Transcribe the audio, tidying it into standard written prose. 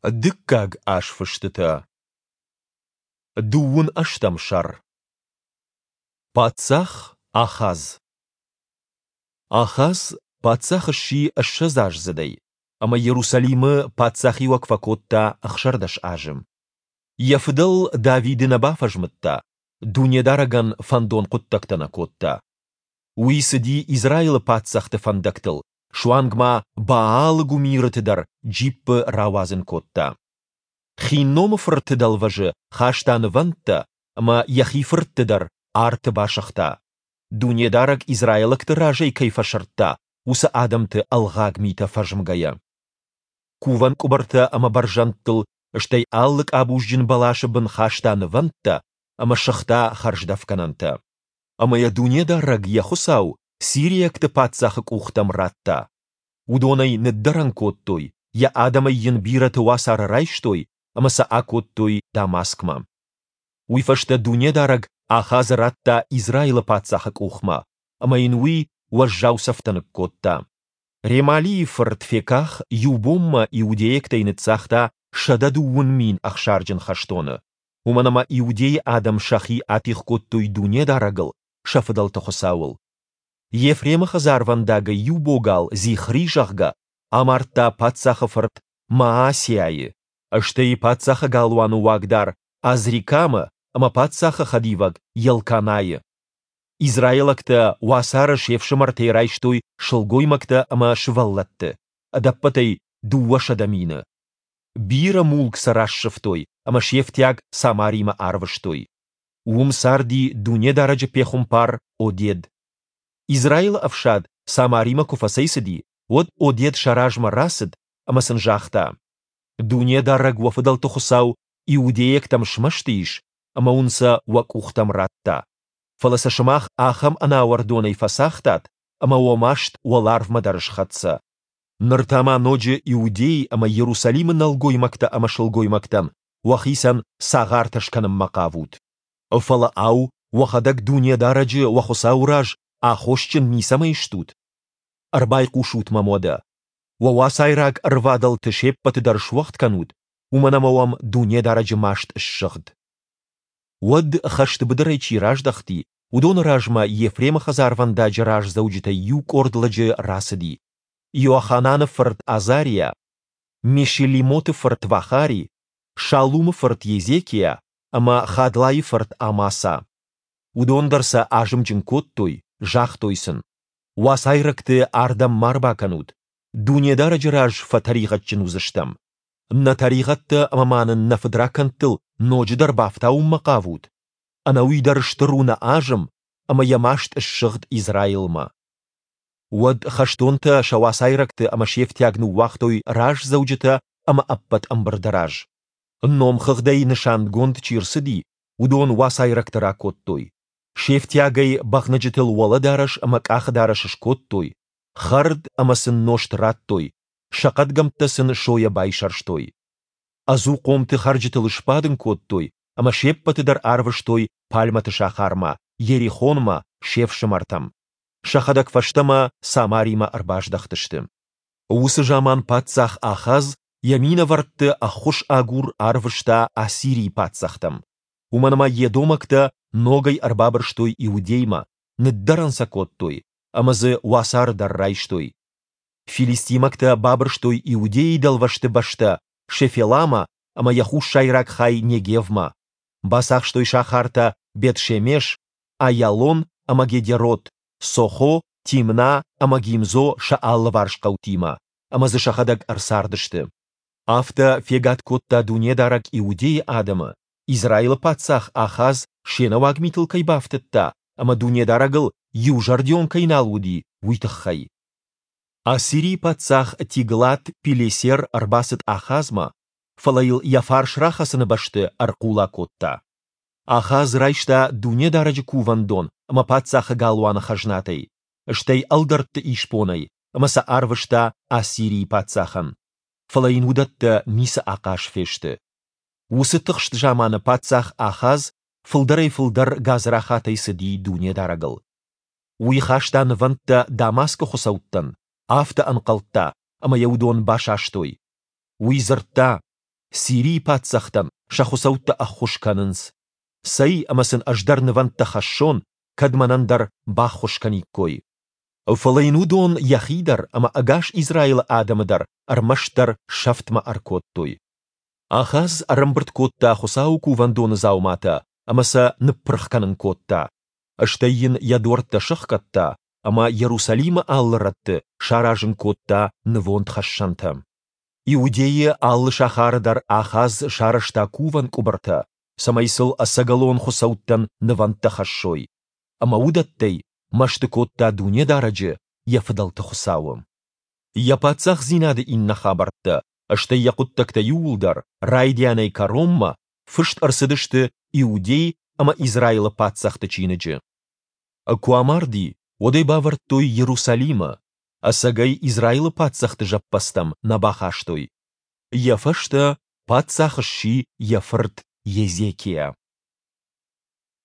Дыккаг азфыстытӕ. Дыууын ӕстӕм сӕр. Паддзах Ахаз. Ахаз паддзах сси ссӕдзаздзыдӕй, ӕмӕ Иерусалимы паддзахиуӕг фӕкодта 16 азы. Йӕ фыдӕл Давиды нӕ бафӕзмыдта, Дунедарӕгӕн фӕндон хъуыддӕгтӕ нӕ кодта. Уый цыди Израилы паддзӕхты фӕндӕгтыл, суанг ма Баалы гуымирыты дӕр джиппы рауадзын кодта. Хинномы фырты дӕлвӕзы хаста нывӕндтӕ ӕмӕ йӕхи фыртты дӕр арты басыгъта, Дунедарӕг израилӕгты разӕй кӕй фӕсырдта, уыцы адӕмты ӕлгъаг митӕ фӕзмгӕйӕ. Кувӕн къуыбыртӕ ӕмӕ бӕрзӕндтыл, стӕй алы къабузджын бӕласы бын хаста нывӕндтӕ ӕмӕ сыгъта хӕрздӕфгӕнӕнтӕ. Ӕмӕ йӕ Дунедарӕг, йӕ Хуыцау, сириӕгты паддзахы къухтӕм радта. Уыдон ӕй ныддӕрӕн кодтой, йӕ адӕмӕй йын бирӕты уацары райстой ӕмӕ сӕ акодтой Дамаскмӕ. Уый фӕстӕ Дунедарӕг Ахазы радта Израилы паддзахы къухмӕ, ӕмӕ йын уый уӕззау цӕфтӕ ныккодта. Ремалийы фырт Феках иу бонмӕ иудейӕгтӕй ныццагъта 120 000 ӕхсарджын хӕстоны, уымӕн ӕмӕ Иудейы адӕм сӕхи атигъ кодтой Дунедарӕгыл, сӕ фыдӕлты Хуыцауыл. Ефремы хӕдзарвӕндагӕй иу богал, Зихри, зӕгъгӕ, амардта паддзахы фырт Маасиайы, стӕй паддзахы галуаны уагдар Азрикамы ӕмӕ паддзахы хӕдивӕг Елканайы. Израилӕгтӕ уацары се фсымӕртӕй райстой сылгоймӕгтӕ ӕмӕ сывӕллӕтты, ӕдӕппӕтӕй 200 мины. Бирӕ мулк сӕ рассывтой ӕмӕ се фтиаг Самаримӕ арвыстой. Уым царди Дунедарӕджы пехуымпар Одед. Израилы ӕфсад Самаримӕ куы фӕцӕйцыди, уӕд Одед сӕ размӕ рацыд ӕмӕ сын загъта: Дунедарӕг уӕ фыдӕлты Хуыцау иудейӕгтӕм смӕсты ис ӕмӕ уын сӕ уӕ къухтӕм радта. Фӕлӕ сӕ сымах ахӕм ӕнауӕрдонӕй фӕцагътат, ӕмӕ уӕ маст уӕларвмӕ дӕр схӕццӕ. Ныр та ма ноджы Иудей ӕмӕ Иерусалимы нӕлгоймӕгтӕ ӕмӕ сылгоймӕгтӕн уӕхицӕн цагъартӕ скӕнынмӕ хъавут. Фӕлӕ, ау, уӕхӕдӕг Дунедарӕджы, уӕ Хуыцауы раз, аххосджын ницӕмӕй стут? Ӕрбайхъусут мӕм уӕдӕ. Уӕ уацайраг ӕрвадӕлты се ппӕты дӕр суӕгъд кӕнут, уымӕн ӕмӕ уӕм Дунедарӕджы маст ссыгъд. Уӕд, хӕсты быдырӕй чи раздӕхти, уыдоны размӕ Ефремы хӕдзарвӕндаджы раздзӕуджытӕй иу къорд лӕджы рацыди, Иохананы фырт Азариа, Мешилимоты фырт Вахари, Шаллумы фырт Езекиа ӕмӕ Хадлайы фырт Амаса. Уыдон дӕр сӕ азымджын кодтой, загътой сын: Уацайрӕгты ардӕм ма рбакӕнут, Дунедарӕджы раз фӕтӕригъӕдджын уыдзыстӕм. Нӕ тӕригъӕдтӕ ӕмӕ ма нын нӕ фыдракӕндтыл ноджыдӕр бафтауынмӕ хъавут? Ӕнӕуый дӕр стыр у нӕ азым, ӕмӕ йӕ маст ссыгъд Израилмӕ. Уӕд хӕстонтӕ сӕ уацайрӕгты ӕмӕ се фтиаг ныууагътой раздзӕуджытӕ ӕмӕ ӕппӕт ӕмбырды раз. Номхыгъдӕй нысангонд чи рцыди, уыдон уацайрӕгты ракодтой. Се фтиагӕй бӕгънӕджытыл уӕлӕдарӕс ӕмӕ къахыдарӕс скодтой, хӕрд ӕмӕ сын нозт радтой, сӕ хъӕдгӕмттӕ сын сойӕ байсӕрстой. Ӕдзухъомты хӕрджытыл сбадын кодтой ӕмӕ се ппӕты дӕр арвыстой Пальмӕты сахармӕ, Йерихонмӕ, се фсымӕртӕм. Сӕхӕдӕг фӕстӕмӕ Самаримӕ ӕрбаздӕхтысты. Уыцы заман паддзах Ахаз йӕ минӕвӕртты ӕххуыс агур арвыста Ассирийы паддзӕхтӕм, уымӕн ӕмӕ едомӕгтӕ ногӕй ӕрбабырстой Иудеймӕ, ныддӕрӕн сӕ кодтой ӕмӕ дзы уацары дӕр райстой. Филистимӕгтӕ бабырстой Иудейы дӕлвӕзты бӕстӕ Шефеламӕ ӕмӕ йӕ хуссайраг хай Негевмӕ, бацахстой сахартӕ Бет-Шемеш, Аялон ӕмӕ Гедерот, Сохо, Тимна ӕмӕ Гимзо сӕ алыварс хъӕутимӕ, ӕмӕ дзы сӕхӕдӕг ӕрцардысты. Афтӕ фегад кодта Дунедарӕг Иудейы адӕмы, Израилы паддзах Ахаз се нӕуаг митыл кӕй бафтыдта ӕмӕ Дунедарӕгыл иузӕрдион кӕй нал уыди, уый тыххӕй. Ассирийы паддзах Тиглат-Пилесер ӕрбацыд Ахазмӕ, фӕлӕ йыл йӕ фарс рахӕцыны бӕсты ӕрхъула кодта. Ахаз райста Дунедарӕджы кувӕндон ӕмӕ паддзахы галуаны хӕзнатӕй, стӕй ӕлдӕртты исбонӕй ӕмӕ сӕ арвыста Ассирийы паддзахӕн. Фӕлӕ йын уыдӕттӕ ницы ахъаз фесты. Уыцы тыхст заманы паддзах Ахаз фылдӕрӕй-фылдӕр гадзрахатӕй цыди Дунедарӕгыл. Уый хаста нывӕндтӕ Дамаскы хуыцӕуттӕн, афтӕ ӕнхъӕлдта, ӕмӕ йӕ уыдон басастой. Уый дзырдта: Сирийы паддзӕхтӕн сӕ хуыцӕуттӕ ӕххуыс кӕнынц. Цӕй ӕмӕ сын ӕз дӕр нывӕндтӕ хӕссон, кӕд мӕнӕн дӕр баххуыс кӕниккой. Фӕлӕ йын уыдон йӕхи дӕр ӕмӕ ӕгас Израилы адӕмы дӕр ӕрмӕстдӕр сӕфтмӕ ӕркодтой. Ахаз ӕрӕмбырд кодта Хуыцауы кувӕндоны дзауматӕ ӕмӕ сӕ ныппырх кӕнын кодта. Стӕй йын йӕ дуӕрттӕ сӕхгӕдта ӕмӕ Иерусалимы алы рӕтты саразын кодта нывондхӕссӕнтӕ. Иудейы алы сахары дӕр Ахаз сарӕзта кувӕн къуыбыртӕ, цӕмӕй сыл ӕцӕгӕлон хуыцӕуттӕн нывӕндтӕ хӕссой. Ӕмӕ уыдӕттӕй мӕсты кодта Дунедарӕджы, йӕ фыдӕлты Хуыцауы. Йӕ паддзахдзинады иннӕ хабӕрттӕ, стӕй йӕ хъуыддӕгтӕ иууылдӕр, райдианӕй кӕронмӕ, фыст ӕрцыдысты Иудей ӕмӕ Израилы паддзӕхты чиныджы. Куы амарди, уӕд ӕй бавӕрдтой Иерусалимы, ӕцӕг ӕй Израилы паддзӕхты зӕппӕдзтӕм нӕ бахастой. Йӕ фӕстӕ паддзах сси йӕ фырт Езекиа.